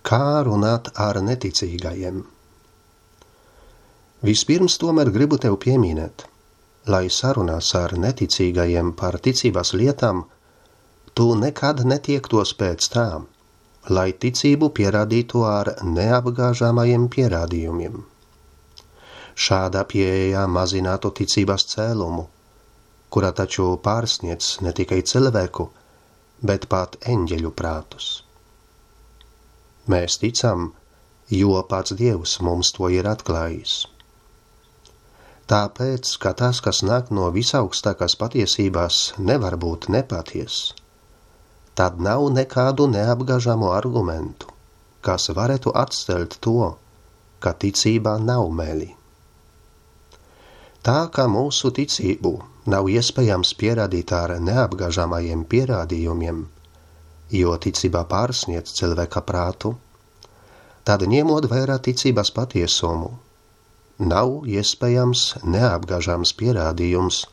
Kā runāt ar neticīgajiem? Vispirms tomēr gribu tev pieminēt, lai sarunās ar neticīgajiem par ticības lietām, tu nekad netiektos pēc tām, lai ticību pierādītu ar neapgāžamajiem pierādījumiem. Šāda pieeja mazinātu ticības cēlumu, kura taču pārsniedz ne tikai cilvēku, bet pat eņģeļu prātus. Mēs ticam, jo pats Dievs mums to ir atklājis. Tāpēc, ka tas, kas nāk no visaugstākās patiesības, nevar būt nepaties, tad nav nekādu neapgāžamu argumentu, kas varētu atstelt to, ka ticībā nav meli. Tā kā mūsu ticību nav iespējams pierādīt ar neapgāžamajiem pierādījumiem, jo ticība pārsniedz cilvēka prātu, tad ņemot vērā ticības patiesumu, nav iespējams neapgāžams pierādījums,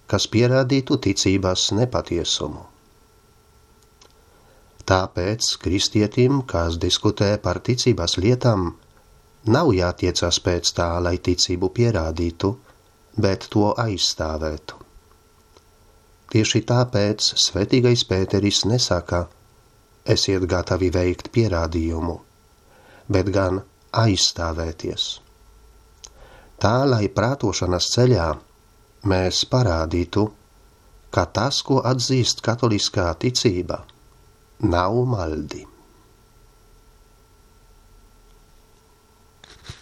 kas pierādītu ticības nepatiesumu. Tāpēc kristietim, kas diskutē par ticības lietām, nav jātiecas pēc tā, lai ticību pierādītu, bet to aizstāvētu. Tieši tāpēc svētīgais Pēteris nesaka, esiet gatavi veikt pierādījumu, bet gan aizstāvēties. Tā, lai prātošanas ceļā mēs parādītu, ka tas, ko atzīst katoliskā ticība, nav maldi.